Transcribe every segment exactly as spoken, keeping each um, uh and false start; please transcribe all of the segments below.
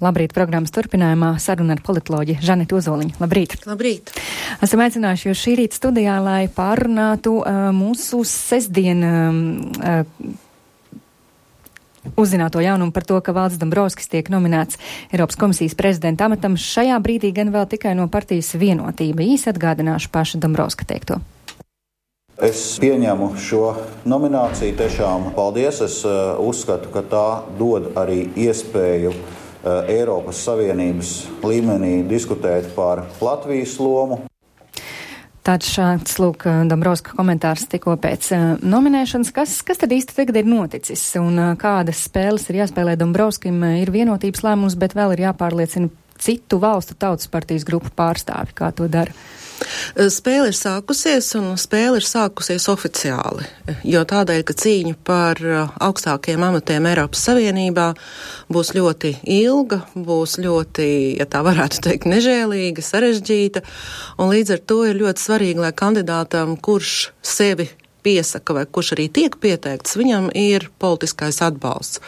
Labrīt programmas turpinājumā saruna ar politoloģi Žanetu Ozoliņu. Labrīt! Labrīt! Esam aicinājuši jūs šī rīta studijā, lai pārunātu uh, mūsu sestdien uh, uzzināto jaunumu par to, ka Valdis Dombrovskis tiek nominēts Eiropas komisijas prezidenta amatam. Šajā brīdī gan vēl tikai no partijas Vienotība. Īsi atgādināšu paša Dombrovska teikto. Es pieņemu šo nomināciju, tiešām paldies. Es uh, uzskatu, ka tā dod arī iespēju uh, Eiropas Savienības līmenī diskutēt par Latvijas lomu. Tāds šāds, lūk, Dombrovska komentārs tikko pēc uh, nominēšanas. Kas, kas tad īsti tagad ir noticis un uh, kādas spēles ir jāspēlē Dombrovskim? Ir vienotības lēmums, bet vēl ir jāpārliecina citu valstu tautas partijas grupu pārstāvi, kā to dara. Spēle ir sākusies, un spēle ir sākusies oficiāli, jo tādēļ, ka cīņa par augstākajiem amatiem Eiropas Savienībā būs ļoti ilga, būs ļoti, ja tā varētu teikt, nežēlīga, sarežģīta, un līdz ar to ir ļoti svarīgi, lai kandidātam, kurš sevi piesaka vai kurš arī tiek pieteikts, viņam ir politiskais atbalsts.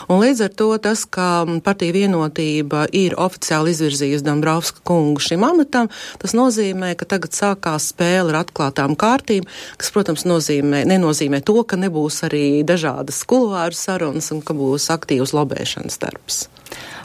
Un līdz ar to tas, ka partija Vienotība ir oficiāli izvirzījusi Dombrovska kungu šim amatam, tas nozīmē, ka tagad sākās spēle ar atklātām kārtīm, kas, protams, nozīmē, nenozīmē to, ka nebūs arī dažādas kuluāru sarunas un ka būs aktīvs lobēšanas darbs.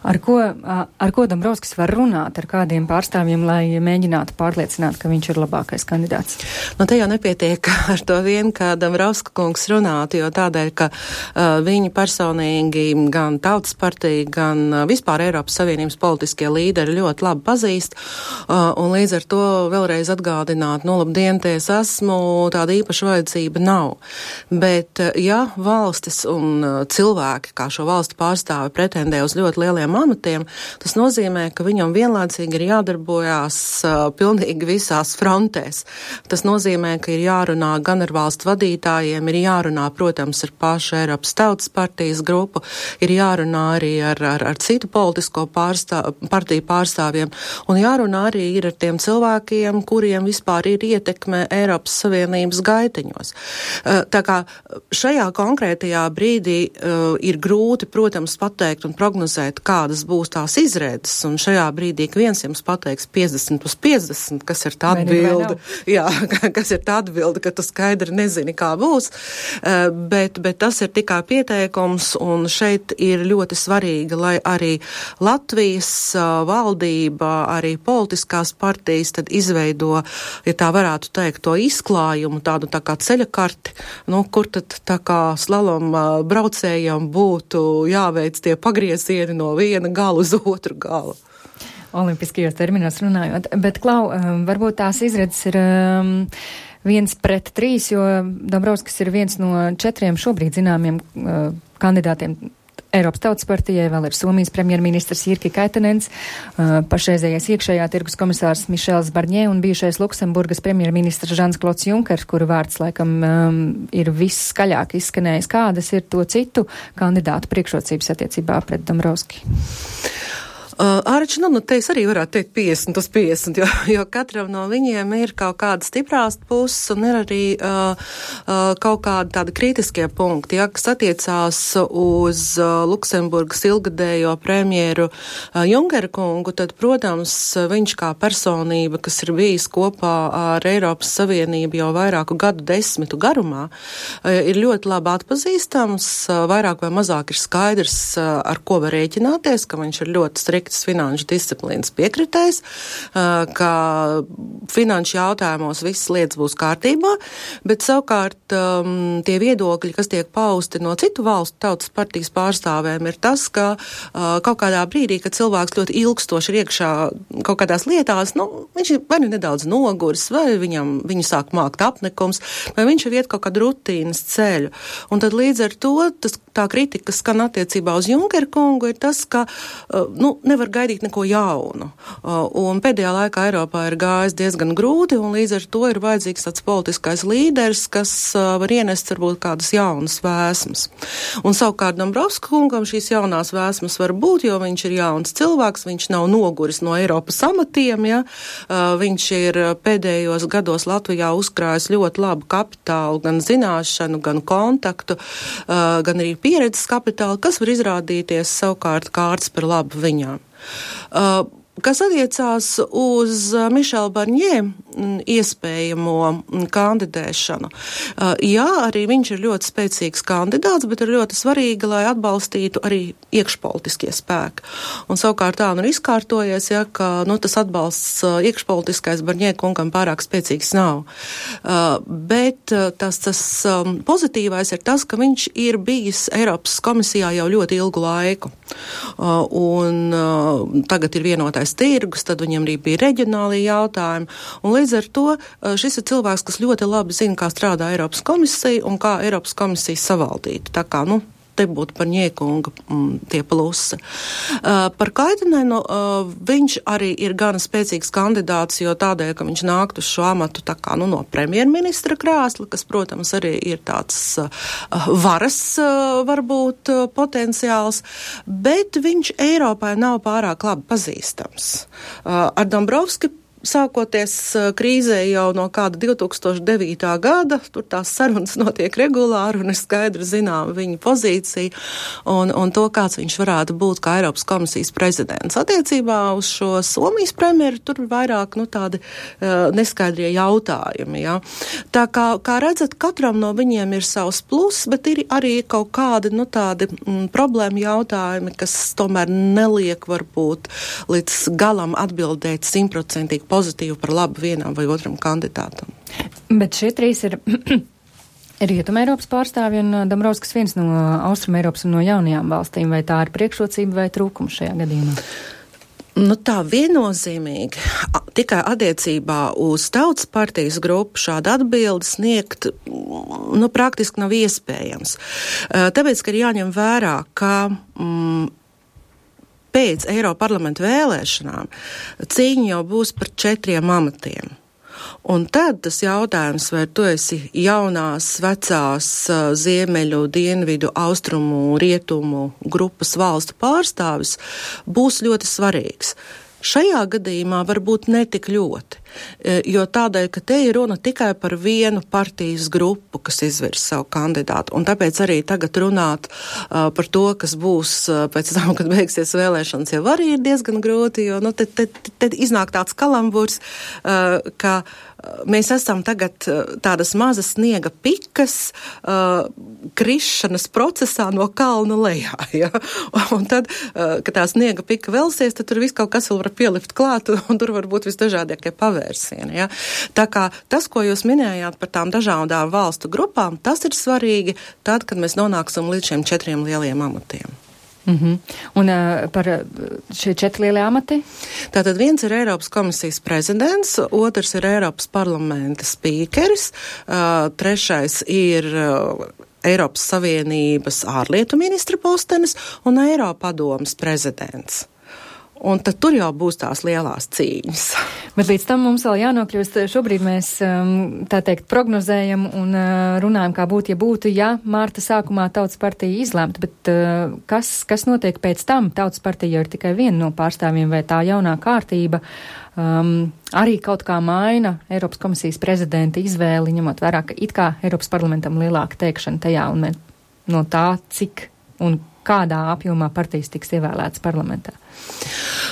Ar ko, ar ko Dombrovskis var runāt ar kādiem pārstāvjiem, lai mēģinātu pārliecināt, ka viņš ir labākais kandidāts? Nu, te jau nepietiek ar to vien, ka Dombrovska kungs runātu, jo tādēļ, ka uh, viņi personīgi gan Tautas partija, gan uh, vispār Eiropas Savienības politiskie līderi ļoti labi pazīst, uh, un līdz ar to vēlreiz atgādināt, nu, labdien, te es esmu, tāda īpaša vajadzība nav. Bet, uh, ja valstis un uh, cilvēki, kā šo valstu pārstāvi, pretendē uz ļoti lieliem amatiem, tas nozīmē, ka viņam vienlaicīgi ir jādarbojās uh, pilnīgi visās frontēs. Tas nozīmē, ka ir jārunā gan ar valstu vadītājiem, ir jārunā, protams, ar pašu Eiropas Tautas partijas grupu, ir jārunā arī ar, ar, ar citu politisko pārstāv, partiju pārstāvjiem, un jārunā arī ir ar tiem cilvēkiem, kuriem vispār ir ietekme Eiropas Savienības gaiteņos. Uh, tā kā šajā konkrētajā brīdī uh, ir grūti, protams, pateikt un prognozēt, kā kādas būs tās izredzes, un šajā brīdī, ka viens jums pateiks piecdesmit uz piecdesmit, kas ir tā atbilde, jā, kas ir tā atbilde, ka tu skaidri nezini, kā būs, uh, bet, bet tas ir tikai pieteikums, un šeit ir ļoti svarīgi, lai arī Latvijas uh, valdība, arī politiskās partijas tad izveido, ja tā varētu teikt, to izklājumu, tādu tā kā ceļa karti, nu, kur tad tā kā slalom uh, braucējiem būtu jāveic tie pagriezieni no viena galu uz otru galu. Olimpiskajos terminos runājot, bet, Klau, varbūt tās izredzes ir um, viens pret trīs, jo Dombrovskis ir viens no četriem šobrīd zināmiem uh, kandidātiem Eiropas Tautas partijai, vēl ir Somijas premjerministrs Jyrki Katainens, uh, pašreizējais iekšējā tirgus komisārs Mišels Barņē un bijušais Luksemburgas premjerministrs Žans-Klods Junkers, kuru vārds laikam um, ir viss skaļāk izskanējis. Kādas ir to citu kandidātu priekšrocības attiecībā pret Dombrovski? Uh, Ārič, nu, nu, te es arī varētu teikt piecdesmit uz piecdesmit, jo, jo katram no viņiem ir kaut kāda stiprās puses un ir arī uh, uh, kaut kādi tādi kritiskie punkti, ja, kas attiecās uz uh, Luksemburgas ilgadējo premjeru uh, Junkera kungu, tad, protams, viņš kā personība, kas ir bijis kopā ar Eiropas Savienību jau vairāku gadu desmitu garumā, uh, ir ļoti labi atpazīstams, uh, vairāk vai mazāk ir skaidrs, uh, ar ko var rēķināties, ka viņš ir ļoti strikt finanšu disciplīnas piekritējs, ka finanšu jautājumos visas lietas būs kārtībā, bet savukārt um, tie viedokļi, kas tiek pausti no citu valstu tautas partijas pārstāvēm, ir tas, ka uh, kaut kādā brīdī, kad cilvēks ļoti ilgstoši ir iekšā kaut kādās lietās, nu, viņš ir vai nu nedaudz noguris, vai viņam, viņu sāk mākt apnikums, vai viņš ir iet kaut kādu rutīnas ceļu. Un tad līdz ar to tas, tā kritika, kas skan attiecībā uz Junkera kungu, ir tas, ka, uh, nu, nevar gaidīt neko jaunu. Uh, un pēdējā laikā Eiropā ir gājis diezgan grūti, un līdz ar to ir vajadzīgs tāds politiskais līderis, kas uh, var ienest varbūt kādas jaunas vēsmas. Un savukārt Dombrovska kungam šīs jaunās vēsmas var būt, jo viņš ir jauns cilvēks, viņš nav noguris no Eiropas amatiem, ja? Uh, viņš ir pēdējos gados Latvijā uzkrājis ļoti labu kapitālu, gan zināšanu, gan kontaktu, uh, gan arī pieredzes kapitāli, kas var izrādīties savukārt kārtas par labu viņām. Uh, Kas attiecās uz Mišela Barņē iespējamo kandidēšanu. Jā, arī viņš ir ļoti spēcīgs kandidāts, bet ir ļoti svarīgi, lai atbalstītu arī iekšpolitiskie spēki. Un savukārt tā nu ir izkārtojies, ja, ka nu, tas atbalsts iekšpolitiskais Barņē kungam pārāk spēcīgs nav. Bet tas, tas pozitīvais ir tas, ka viņš ir bijis Eiropas komisijā jau ļoti ilgu laiku. Un tagad ir vienotais tirgus, tad viņam arī bija reģionālie jautājumi, un līdz ar to šis ir cilvēks, kas ļoti labi zina, kā strādā Eiropas komisija un kā Eiropas komisija savaldīt. Tā kā, nu, te būtu par Ņiekunga mm, tie plusi. Uh, par Kaitenenu uh, viņš arī ir gana spēcīgs kandidāts, jo tādēļ, ka viņš nākt uz šo amatu tā kā, nu, no premjerministra krēsla, kas, protams, arī ir tāds uh, varas, uh, varbūt, uh, potenciāls, bet viņš Eiropai nav pārāk labi pazīstams. Uh, ar Dombrovski sākoties krīzē jau no kāda divi tūkstoši devītā gada, tur tās sarunas notiek regulāri un ir skaidri zinām viņa pozīcija un, un to, kāds viņš varētu būt kā Eiropas komisijas prezidents. Attiecībā uz šo Somijas premjeru tur vairāk, nu, tādi uh, neskaidrie jautājumi, ja. Tā kā, kā redzat, katram no viņiem ir savs plus, bet ir arī kaut kādi, nu, tādi mm, problēma jautājumi, kas tomēr neliek varbūt līdz galam atbildēt simtprocentīgi pozitīvi par labu vienam vai otram kandidātam. Bet šie trīs ir Rietuma Eiropas pārstāvji un Dombrovskis viens no Austrum Eiropas un no jaunajām valstīm. Vai tā ir priekšrocība vai trūkums šajā gadījumā? Nu tā viennozīmīgi, tikai attiecībā uz Tautas partijas grupu šādu atbildi sniegt, nu, praktiski nav iespējams. Tāpēc, ka ir jāņem vērā, ka mm, pēc Eiroparlamenta vēlēšanām cīņa jau būs par četriem amatiem. Un tad tas jautājums, vai tu esi jaunās, vecās, ziemeļu, dienvidu, austrumu, rietumu grupas valstu pārstāvis, būs ļoti svarīgs. Šajā gadījumā varbūt netik ļoti, jo tādēļ, ka te ir runa tikai par vienu partijas grupu, kas izvirs savu kandidātu, un tāpēc arī tagad runāt uh, par to, kas būs uh, pēc tam, kad beigsies vēlēšanas, jau arī ir diezgan grūti, jo nu, te, te, te iznāk tāds kalamburs, uh, ka mēs esam tagad tādas mazas sniega pikas uh, krišanas procesā no kalna lejā. Ja? Un tad, uh, kad tā sniega pika velsies, tad tur viss kaut kas vēl var pielikt klāt, un tur var būt visdažādākie pavērsieni. Ja? Tā kā tas, ko jūs minējāt par tām dažādām valstu grupām, tas ir svarīgi tad, kad mēs nonāksim līdz šiem četriem lieliem amatiem. Mm-hmm. Un uh, par šie četri lielie amati? Tātad viens ir Eiropas komisijas prezidents, otrs ir Eiropas parlamenta spīkeris, uh, trešais ir uh, Eiropas Savienības ārlietu ministra postenis un Eiropadomes prezidents. Un tad tur jau būs tās lielās cīņas. Bet līdz tam mums vēl jānokļūst. Šobrīd mēs, tā teikt, prognozējam un runājam, kā būtu, ja būtu, ja mārta sākumā Tautas partija izlemta. Bet kas, kas notiek pēc tam? Tautas partija ir tikai viena no pārstāvjiem, vai tā jaunā kārtība um, arī kaut kā maina Eiropas komisijas prezidenta izvēli, ņemot vērā, ka it kā Eiropas parlamentam lielāka teikšana tajā un no tā, cik un kādā apjomā partijas tiks ievēlētas parlamentā?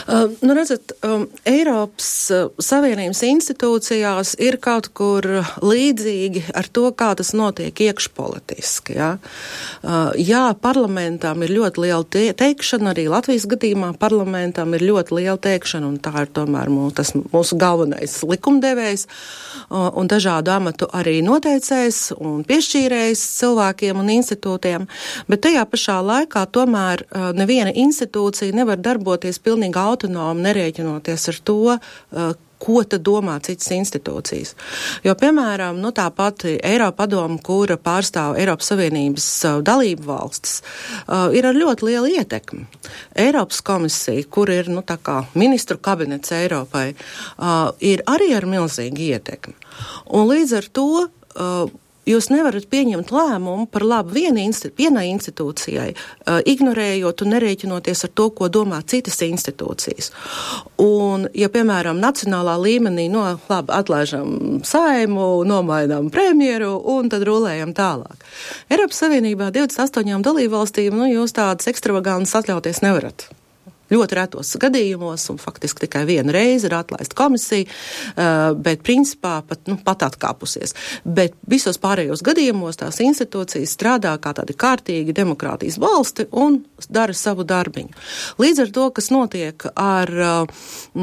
Uh, nu, redzat, um, Eiropas uh, Savienības institūcijās ir kaut kur līdzīgi ar to, kā tas notiek iekšpolitiski. Ja? Uh, jā, parlamentam ir ļoti liela te- teikšana, arī Latvijas gadījumā parlamentam ir ļoti liela teikšana, un tā ir tomēr mūs, tas mūsu galvenais likumdevējs, uh, un dažādu amatu arī noteicējs un piešķīrējs cilvēkiem un institūtiem, bet tajā pašā laikā tomēr uh, neviena institūcija nevar darboties pilnīgi autonomi, nerēķinoties ar to, uh, ko tad domā citas institūcijas. Jo, piemēram, nu, tā pati Eiropadome, kura pārstāv Eiropas Savienības uh, dalību valstis, uh, ir ar ļoti lielu ietekmi. Eiropas komisija, kur ir, nu, tā kā ministru kabinets Eiropai, uh, ir arī ar milzīgu ietekmi. Un līdz ar to uh, jūs nevarat pieņemt lēmumu par labu vienai institūcijai, uh, ignorējot un nerēķinoties ar to, ko domā citas institūcijas. Un, ja, piemēram, nacionālā līmenī, no labi, atlaižam Saimu, nomainām premjeru un tad rulējam tālāk. Eiropas Savienībā divdesmit astoņām dalībvalstīm, nu, jūs tādas ekstravagantas atļauties nevarat. Ļoti retos gadījumos, un faktiski tikai vienu reizi ir atlaista komisija, bet principā pat, nu, pat atkāpusies. Bet visos pārējos gadījumos tās institūcijas strādā kā tādi kārtīgi demokrātijas valsti un dara savu darbiņu. Līdz ar to, kas notiek ar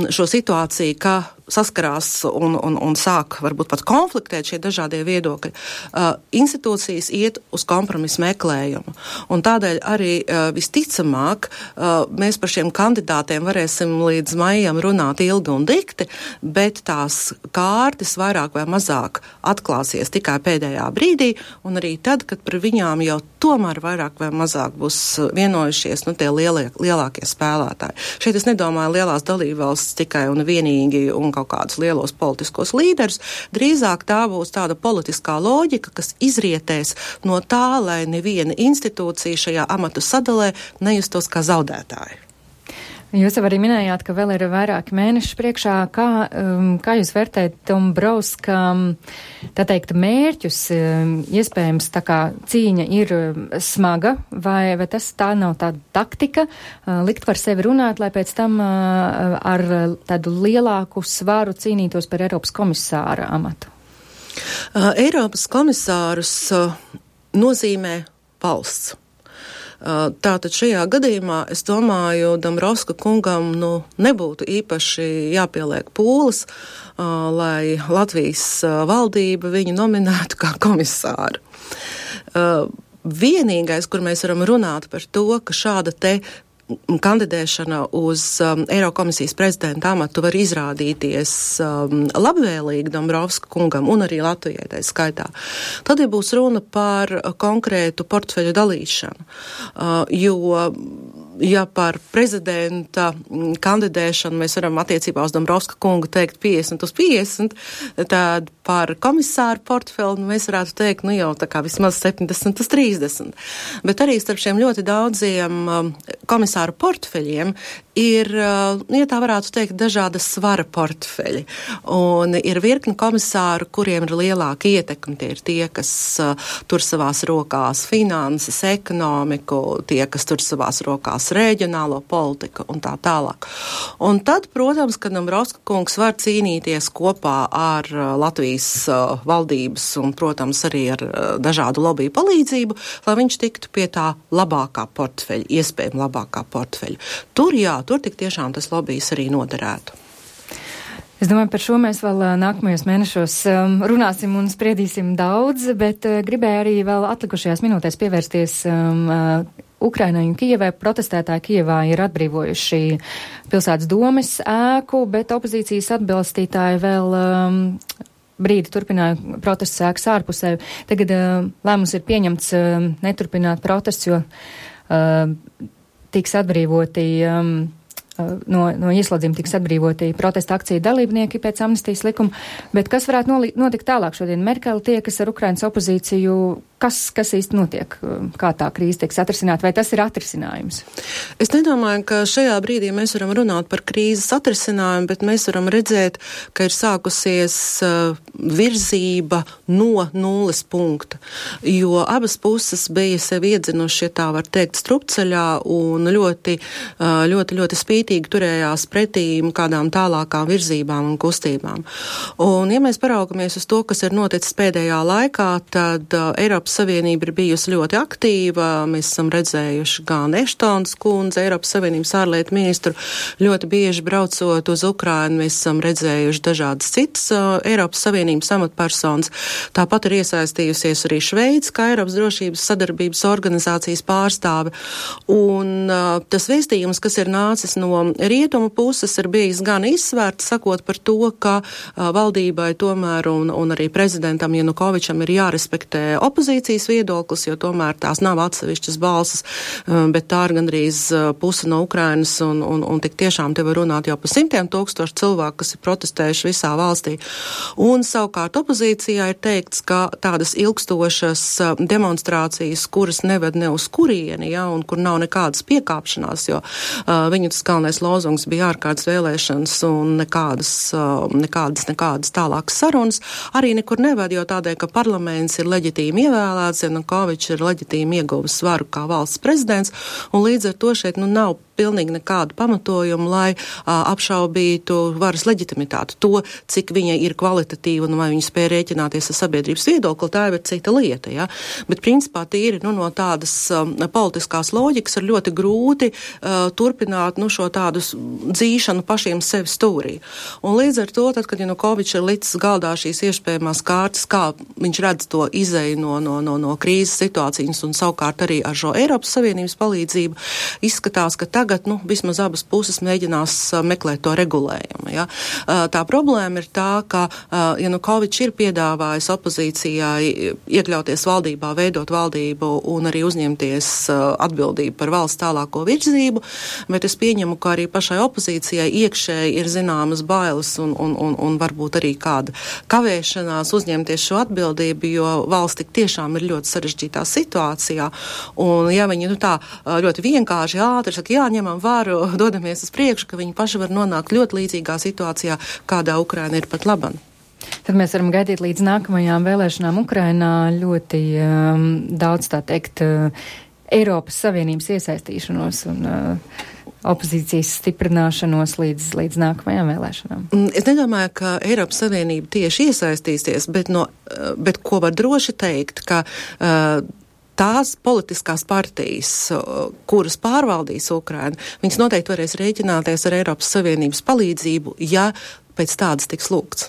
šo situāciju, ka saskarās un, un, un sāk varbūt pat konfliktēt šie dažādie viedokļi, uh, institūcijas iet uz kompromisu meklējumu. Un tādēļ arī uh, visticamāk uh, mēs par šiem kandidātiem varēsim līdz maijam runāt ilgi un dikti, bet tās kārtas vairāk vai mazāk atklāsies tikai pēdējā brīdī, un arī tad, kad par viņām jau tomēr vairāk vai mazāk būs vienojušies, nu, tie lielie, lielākie spēlētāji. Šeit es nedomāju lielās dalībvalstis tikai un vienīgi un kaut kādus lielos politiskos līderus, drīzāk tā būs tāda politiskā loģika, kas izrietēs no tā, lai neviena institūcija šajā amatu sadalē nejustos kā zaudētāji. Jūs jau arī minējāt, ka vēl ir vairāki mēneši priekšā. Kā, um, kā jūs vērtējat Dombrovska, tā teikt, mērķus? Um, iespējams, tā kā cīņa ir smaga, vai, vai tas tā nav tāda taktika, uh, likt par sevi runāt, lai pēc tam uh, ar tādu lielāku svaru cīnītos par Eiropas komisāra amatu? Uh, Eiropas komisārus uh, nozīmē valsts. Tātad šajā gadījumā, es domāju, Dombrovska kungam nu, nebūtu īpaši jāpieliek pūles, uh, lai Latvijas uh, valdība viņu nominētu kā komisāru. Uh, vienīgais, kur mēs varam runāt par to, ka šāda te kandidēšana uz um, Eirokomisijas prezidenta amatu var izrādīties um, labvēlīgi Dombrovska kungam un arī Latvijai tā skaitā. Tad ja būs runa par konkrētu portfeļu dalīšanu, uh, jo ja par prezidenta kandidēšanu mēs varam attiecībā uz Dombrovska kungu teikt piecdesmit uz piecdesmit, tad par komisāru portfeli mēs varētu teikt, nu jau tā kā vismaz septiņdesmit uz trīsdesmit. Bet arī starp šiem ļoti daudziem um, komisāru portfeļiem ir, uh, ja tā varētu teikt, dažādas svara portfeļi. Un ir virkni komisāru, kuriem ir lielāka ietekme. Tie ir tie, kas uh, tur savās rokās finanses, ekonomiku, tie, kas tur savās rokās reģionālo politiku un tā tālāk. Un tad, protams, ka Dombrovska kungs var cīnīties kopā ar uh, Latvijas uh, valdības un, protams, arī ar uh, dažādu lobiju palīdzību, lai viņš tiktu pie tā labākā portfeļa, iespējami labākā portfeļa. Tur, jā, tur tik tiešām tas lobijs arī noderētu. Es domāju, par šo mēs vēl nākamajos mēnešos um, runāsim un spriedīsim daudz, bet uh, gribēju arī vēl atlikušajās minūtēs pievērsties um, uh, Ukrainai un Kijevai. Protestētāji Kijevā ir atbrīvojuši pilsētas domes ēku, bet opozīcijas atbalstītāji vēl um, brīdi turpināja protestu ēkas ārpusē. Tagad uh, lēmums ir pieņemts uh, neturpināt protestu, jo uh, tiks atbrīvoti um, No, no ieslodzījuma tiks atbrīvoti protesta akciju dalībnieki pēc amnestijas likuma, bet kas varētu noli, notikt tālāk šodien? Merkele tiekas ar Ukrainas opozīciju, kas, kas īsti notiek, kā tā krīze tiks atrisināt, vai tas ir atrisinājums? Es nedomāju, ka šajā brīdī mēs varam runāt par krīzes atrisinājumu, bet mēs varam redzēt, ka ir sākusies uh, virzība no nulles punkta, jo abas puses bija sevi iedzinuši, ja tā var teikt, strupceļā un ļoti, uh, ļoti, ļoti spītīgi turējās pretīm kādām tālākām virzībām un kustībām. Un, ja mēs paraugamies uz to, kas ir noticis pēdējā laikā, tad uh, Eiropas Savienība ir bijusi ļoti aktīva. Mēs esam redzējuši gan Eštons kundze, Eiropas Savienības ārlietu ministru, ļoti bieži braucot uz Ukrainu. Mēs esam redzējuši dažādas citas uh, Eiropas Savienības amatpersonas. Tāpat ir iesaistījusies arī Šveica, kā Eiropas drošības sadarbības organizācijas pārstāve. Un uh, tas vēstījums, kas ir nācis no rietumu puses, ir bijis gan izsvērts, sakot par to, ka uh, valdībai tomēr un, un arī prezidentam Janukovičam ir jārespektē opozīcijas opozīcijas viedoklis, jo tomēr tās nav atsevišķas balsas, bet tā ir gandrīz puse no Ukrainas, un, un, un tik tiešām te var runāt jau par simtiem tūkstošu cilvēku, kas ir protestējuši visā valstī. Un savukārt opozīcijā ir teikts, ka tādas ilgstošas demonstrācijas, kuras neved ne uz kurieni, ja, un kur nav nekādas piekāpšanās, jo uh, viņu tas galvenais lozungs bija ārkārtas vēlēšanas un nekādas, uh, nekādas, nekādas tālākas sarunas, arī nekur neved, jo tādēļ, ka parlaments ir leģitīmi ievēlēts, Janukovičs ir leģitīmi ieguvis svaru kā valsts prezidents, un līdz ar to šeit nu nav pilnīgi nekādu pamatojumu, lai a, apšaubītu varas leģitimitāti. To, cik viņa ir kvalitatīva un vai viņa spēja rēķināties ar sabiedrības viedokli, tā ir cita lieta. Ja? Bet principā tīri nu, no tādas um, politiskās loģikas ir ļoti grūti uh, turpināt nu, šo tādu dzīšanu pašiem sevi stūrī. Un līdz ar to, tad, kad Janukovičs ir licis galdā šīs iespējamās kārtas, kā viņš redz to izēju no, no, no, no krīzes situācijas un savukārt arī ar šo Eiropas Savienības palīdzību, izskatās, ka tagad Tagad, nu, vismaz abas puses mēģinās uh, meklēt to regulējumu. Ja? Uh, tā problēma ir tā, ka uh, Janukovičs ir piedāvājis opozīcijai iekļauties valdībā, veidot valdību un arī uzņemties uh, atbildību par valsts tālāko virzību, bet es pieņemu, ka arī pašai opozīcijai iekšēji ir zināmas bailes un, un, un, un varbūt arī kāda kavēšanās uzņemties šo atbildību, jo valsts tik tiešām ir ļoti sarežģītā situācijā. Un ja viņi nu, tā ļoti vienkārši ātri saka, jā, ņemam varu, dodamies uz priekšu, ka viņi paši var nonākt ļoti līdzīgā situācijā, kādā Ukraina ir pat laban. Tad mēs varam gaidīt līdz nākamajām vēlēšanām Ukrainā ļoti um, daudz, tā teikt, uh, Eiropas Savienības iesaistīšanos un uh, opozīcijas stiprināšanos līdz, līdz nākamajām vēlēšanām. Es nedomāju, ka Eiropas Savienība tieši iesaistīsies, bet, no, bet ko var droši teikt, ka uh, tās politiskās partijas, kuras pārvaldīs Ukrainu, viņas noteikti varēs rēķināties ar Eiropas Savienības palīdzību, ja pēc tādas tiks lūgts.